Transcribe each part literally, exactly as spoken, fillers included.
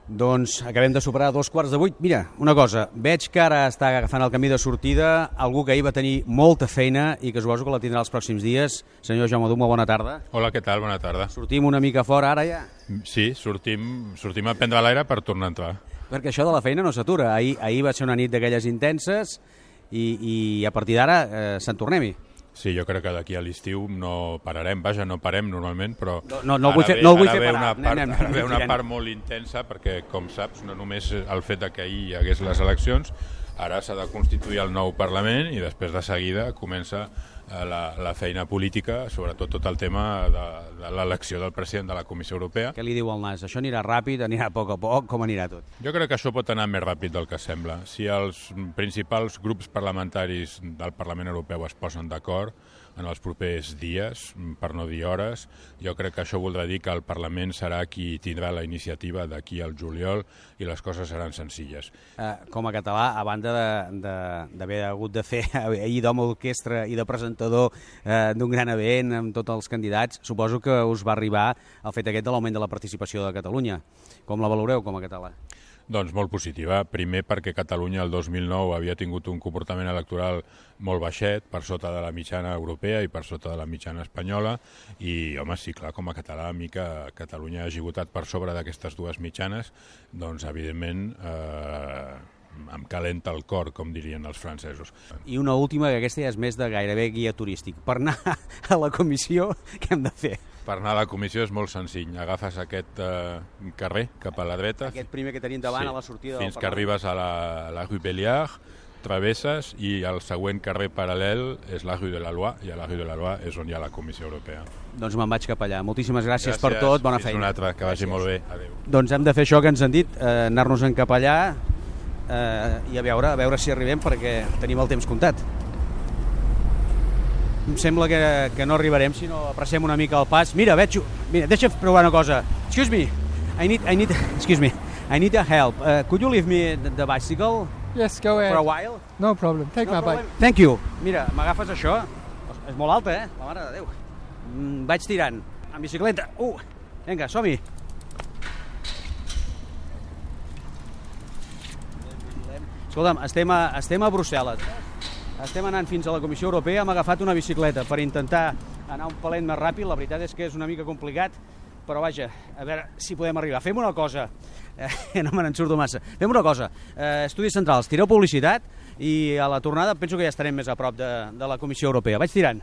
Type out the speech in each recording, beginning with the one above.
Doncs acabem de superar dos quarts de vuit. Mira, una cosa, veig que ara està agafant el camí de sortida algú que ahir va tenir molta feina i que suposo que la tindrà els pròxims dies. Senyor Jaume Duma, bona tarda. Hola, què tal? Bona tarda. Sortim una mica fora ara ja? Sí, sortim, sortim a prendre l'aire per tornar a entrar. Perquè això de la feina no s'atura. Ahir, ahir va ser una nit d'aquelles intenses i, i a partir d'ara eh, se'n tornem-hi. Sí, jo crec que d'aquí a l'estiu no pararem, vaja, no parem normalment, però no, no, no el vull fer, no el vull fer parar. Una part, anem, anem, ara ve una part molt intensa perquè, com saps, no només el fet que ahir hi hagués les eleccions, ara s'ha de constituir el nou Parlament i després de seguida comença la, la feina política, sobretot tot el tema de, de l'elecció del president de la Comissió Europea. Què li diu el nas? Això anirà ràpid, anirà a poc a poc, com anirà tot? Jo crec que això pot anar més ràpid del que sembla. Si els principals grups parlamentaris del Parlament Europeu es posen d'acord en els propers dies, per no dir hores, jo crec que això voldrà dir que el Parlament serà qui tindrà la iniciativa d'aquí al juliol i les coses seran senzilles. Eh, com a català, a banda d'haver hagut de fer ahir d'home d'orquestra i de presentador eh, d'un gran event amb tots els candidats, suposo que us va arribar el fet aquest de l'augment de la participació de Catalunya. Com la valoreu com a català? Doncs molt positiva. Primer perquè Catalunya el dos mil nou havia tingut un comportament electoral molt baixet, per sota de la mitjana europea i per sota de la mitjana espanyola, i, home, sí, clar, com a català, a mi que Catalunya hagi votat per sobre d'aquestes dues mitjanes, doncs, evidentment, eh, em calenta el cor, com dirien els francesos. I una última, que aquesta ja és més de gairebé guia turístic. Per anar a la comissió, què hem de fer? Per anar a la comissió és molt senzill. Agafes aquest eh, carrer cap a la dreta. Aquest primer que tenim davant, sí, a la sortida fins del que arribes a la, la Rue Belliard, travesses i el següent carrer paral·lel és la Rue de la Loi, i a la Rue de la Loi és on hi ha la Comissió Europea. Doncs me'n vaig cap allà. Moltíssimes gràcies, gràcies per tot, bona Fins feina. Fins una altra, que vagi molt bé. Adéu. Doncs hem de fer això que ens han dit, eh, anar-nos-en cap allà eh, i a veure, a veure si arribem, perquè tenim el temps comptat. Em sembla que, que no arribarem si no apreciem una mica el pas. Mira, veig... Mira, deixa provar una cosa. Excuse me. I need... I need... Excuse me. I need a help. Uh, could you leave me the, the bicycle? Yes, go ahead. For a while? No problem. Take no my problem. bike. Thank you. Mira, m'agafes això? És molt alta, eh? La mare de Déu. Mm, vaig tirant. En bicicleta. Uh! Vinga, som-hi. Escolta'm, estem a, estem a Brussel·les. Estem anant fins a la Comissió Europea, hem agafat una bicicleta per intentar anar un palet més ràpid. La veritat és que és una mica complicat, però vaja, a veure si podem arribar. Fem una cosa, eh, no me n'en surto massa, fem una cosa, eh, Estudis Centrals, tireu publicitat i a la tornada penso que ja estarem més a prop de, de la Comissió Europea. Vaig tirant.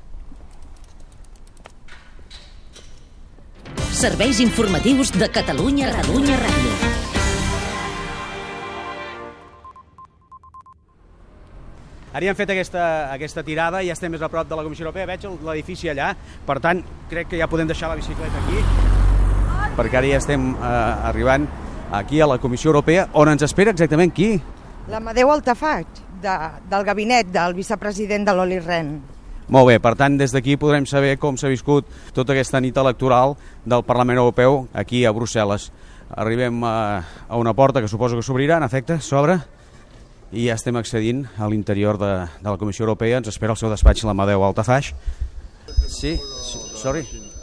Serveis informatius de Catalunya Catalunya Ràdio. Ara ja hem fet aquesta, aquesta tirada i ja estem més a prop de la Comissió Europea. Veig l'edifici allà, per tant, crec que ja podem deixar la bicicleta aquí, perquè ara ja estem eh, arribant aquí a la Comissió Europea, on ens espera exactament qui? L'Amadeu Altafaj, de, del gabinet del vicepresident de l'Olli Rehn. Molt bé, per tant, des d'aquí podrem saber com s'ha viscut tota aquesta nit electoral del Parlament Europeu aquí a Brussel·les. Arribem a, a una porta que suposo que s'obrirà, en efecte, s'obre, i ja estem accedint a l'interior de, de la Comissió Europea. Ens espera el seu despatx l'Amadeu Altafaj. Sí? Sorry?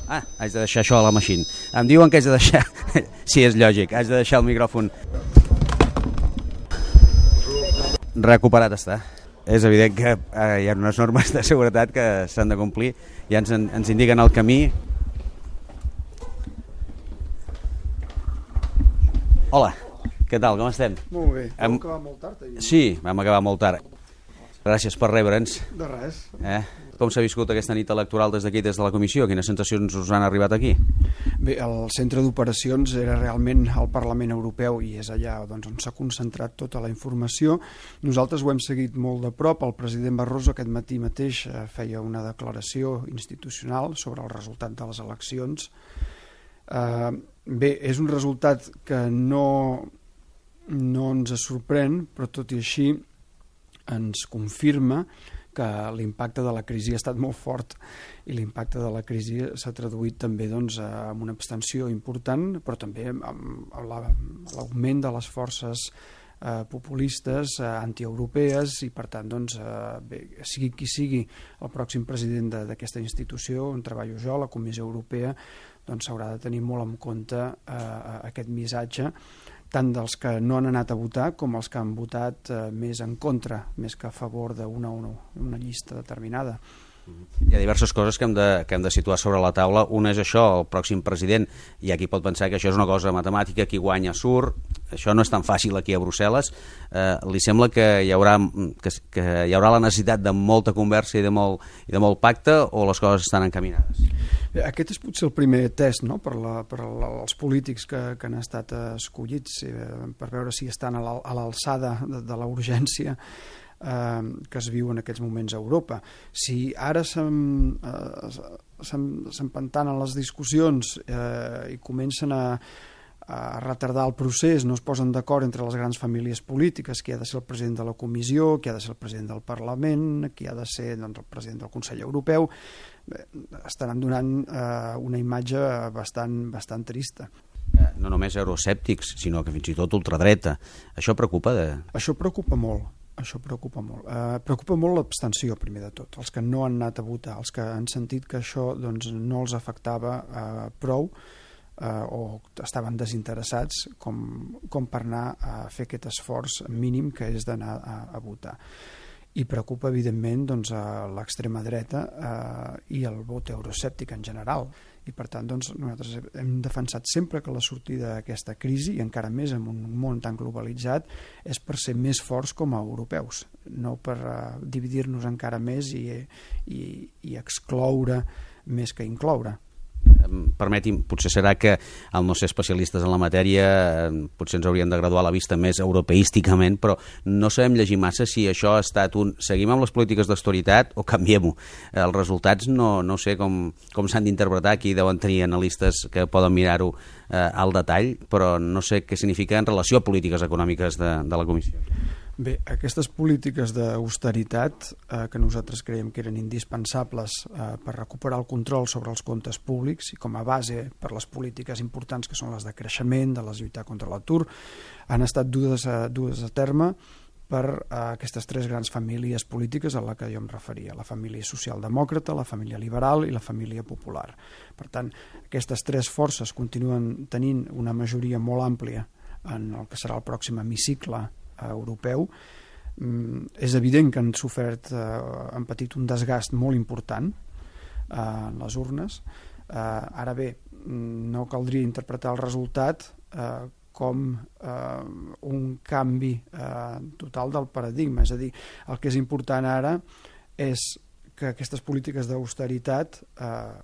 Ah, haig de deixar això a la machine. Em diuen que haig de deixar... Sí, és lògic, haig de deixar el micròfon. Recuperat està. És evident que eh, hi ha unes normes de seguretat que s'han de complir. Ja ens, ens indiquen el camí. Hola. Què tal, com estem? Molt bé, vam Hem... acabar molt tard ahir. Sí, vam acabar molt tard. Gràcies per rebre'ns. De res. Eh? Com s'ha viscut aquesta nit electoral des d'aquí, des de la comissió? Quines sensacions us han arribat aquí? Bé, el centre d'operacions era realment el Parlament Europeu i és allà doncs, on s'ha concentrat tota la informació. Nosaltres ho hem seguit molt de prop. El president Barroso aquest matí mateix feia una declaració institucional sobre el resultat de les eleccions. Eh, bé, és un resultat que no... no ens sorprèn, però tot i així ens confirma que l'impacte de la crisi ha estat molt fort i l'impacte de la crisi s'ha traduït també doncs, amb una abstenció important, però també amb l'augment de les forces eh, populistes, eh, antieuropees, i per tant, doncs, eh, bé, sigui qui sigui el pròxim president d'aquesta institució on treballo jo, la Comissió Europea, doncs s'haurà de tenir molt en compte eh, aquest missatge tant dels que no han anat a votar com els que han votat eh, més en contra, més que a favor d'una una, una llista determinada. Hi ha diverses coses que hem, de, que hem de situar sobre la taula. Una és això, el pròxim president. Hi ha qui pot pensar que això és una cosa matemàtica, qui guanya surt. Això no és tan fàcil aquí a Brussel·les. Eh, li sembla que hi, haurà, que, que hi haurà la necessitat de molta conversa i de molt, i de molt pacte, o les coses estan encaminades? Aquest és potser el primer test, no?, per, la, per la, els polítics que, que han estat escollits, eh, per veure si estan a l'alçada de, de la urgència Eh, que es viu en aquests moments a Europa. Si ara s'empantanen les discussions eh, i comencen a, a retardar el procés, no es posen d'acord entre les grans famílies polítiques, qui ha de ser el president de la Comissió, qui ha de ser el president del Parlament, qui ha de ser, doncs, el president del Consell Europeu, bé, estaran donant eh, una imatge bastant, bastant trista. No només euroscèptics, sinó que fins i tot ultradreta. Això preocupa? De... Això preocupa molt. Això preocupa molt. Eh, preocupa molt l'abstenció, primer de tot. Els que no han anat a votar, els que han sentit que això doncs, no els afectava eh, prou eh, o estaven desinteressats com, com per anar a fer aquest esforç mínim que és d'anar a, a votar. I preocupa, evidentment, doncs, a l'extrema dreta eh, i el vot euroscèptic en general. I, per tant, doncs, nosaltres hem defensat sempre que la sortida d'aquesta crisi, i encara més en un món tan globalitzat, és per ser més forts com a europeus, no per uh, dividir-nos encara més i, i, i excloure més que incloure. Permeti'm, potser serà que al no ser especialistes en la matèria potser ens haurien de graduar la vista més europeísticament, però no sabem llegir massa si això ha estat un seguim amb les polítiques d'austeritat o canviem-ho. Els resultats no, no sé com, com s'han d'interpretar, aquí deuen tenir analistes que poden mirar-ho eh, al detall, però no sé què significa en relació a polítiques econòmiques de, de la Comissió. Bé, aquestes polítiques d'austeritat eh, que nosaltres creiem que eren indispensables eh, per recuperar el control sobre els comptes públics i com a base per les polítiques importants que són les de creixement, de les lluitar contra l'atur, han estat dues a, dues a terme per eh, aquestes tres grans famílies polítiques a la que jo em referia, la família socialdemòcrata, la família liberal i la família popular. Per tant, aquestes tres forces continuen tenint una majoria molt àmplia en el que serà el pròxim hemicicle europeu. Mm, és evident que han sofert, eh, han patit un desgast molt important eh, en les urnes. Eh, ara bé, no caldria interpretar el resultat eh, com eh, un canvi eh, total del paradigma. És a dir, el que és important ara és que aquestes polítiques d'austeritat eh,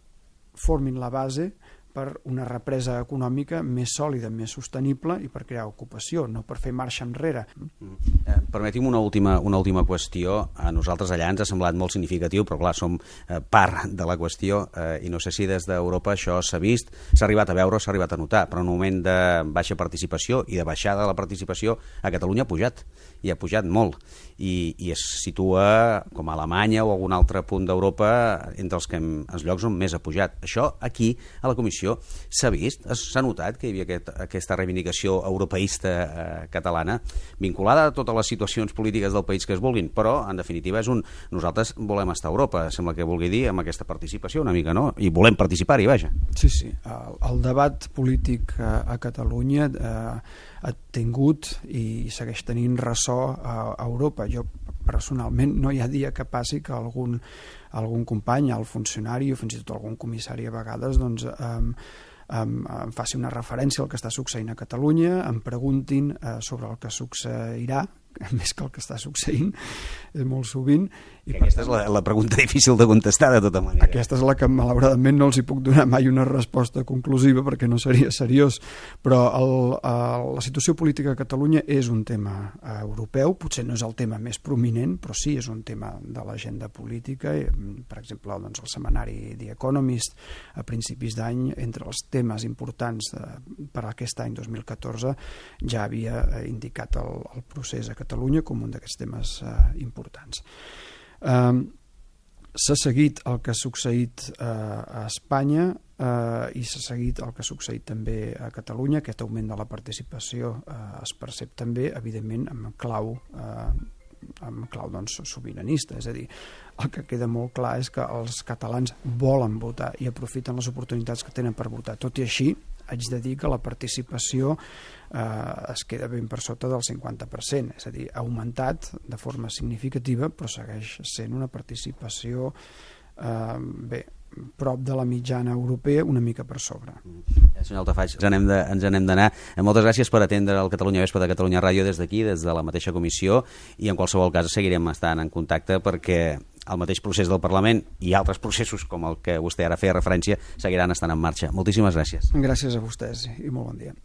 formin la base per una represa econòmica més sòlida, més sostenible i per crear ocupació, no per fer marxa enrere. Eh, permeti'm una última, una última qüestió. A nosaltres allà ens ha semblat molt significatiu, però clar, som eh, part de la qüestió eh, i no sé si des d'Europa això s'ha vist, s'ha arribat a veure o s'ha arribat a notar, però en un moment de baixa participació i de baixada de la participació a Catalunya ha pujat, i ha pujat molt, i, i es situa com a Alemanya o algun altre punt d'Europa entre els, que hem, els llocs on més ha pujat. Això aquí, a la Comissió, s'ha vist, s'ha notat que hi havia aquest, aquesta reivindicació europeista eh, catalana, vinculada a totes les situacions polítiques del país que es vulguin, però en definitiva és un, nosaltres volem estar a Europa, sembla que vulgui dir, amb aquesta participació una mica, no? I volem participar-hi, vaja. Sí, sí, el, el debat polític a, a Catalunya eh, ha tingut i segueix tenint ressò a, a Europa. Jo personalment no hi ha dia que passi que algun, algun company, el funcionari o fins i tot algun comissari a vegades doncs, um, um, em faci una referència al que està succeint a Catalunya, em preguntin uh, sobre el que succeirà, més que el que està succeint, és molt sovint. I aquesta és la, la pregunta difícil de contestar, de tota manera. Aquesta és la que, malauradament, no els hi puc donar mai una resposta conclusiva perquè no seria seriós, però el, el, la situació política a Catalunya és un tema eh, europeu, potser no és el tema més prominent, però sí és un tema de l'agenda política. Per exemple, doncs, el setmanari The Economist a principis d'any, entre els temes importants de, per a aquest any dos mil catorze, ja havia eh, indicat el, el procés a Catalunya com un d'aquests temes eh, importants. Um, s'ha seguit el que ha succeït uh, a Espanya uh, i s'ha seguit el que ha succeït també a Catalunya. Aquest augment de la participació uh, es percep també, evidentment, amb clau, uh, amb clau doncs, sobiranista. És a dir, el que queda molt clar és que els catalans volen votar i aprofiten les oportunitats que tenen per votar. Tot i així, haig de dir que la participació eh, es queda ben per sota del cinquanta per cent, és a dir, ha augmentat de forma significativa, però segueix sent una participació eh, bé, prop de la mitjana europea, una mica per sobre. Eh, senyor Altafaj, ens n'hem de, ens n'hem d'anar. Eh, moltes gràcies per atendre el Catalunya Vespre de Catalunya Ràdio des d'aquí, des de la mateixa comissió, i en qualsevol cas seguirem estant en contacte perquè el mateix procés del Parlament i altres processos com el que vostè ara feia referència seguiran estant en marxa. Moltíssimes gràcies. Gràcies a vostès i molt bon dia.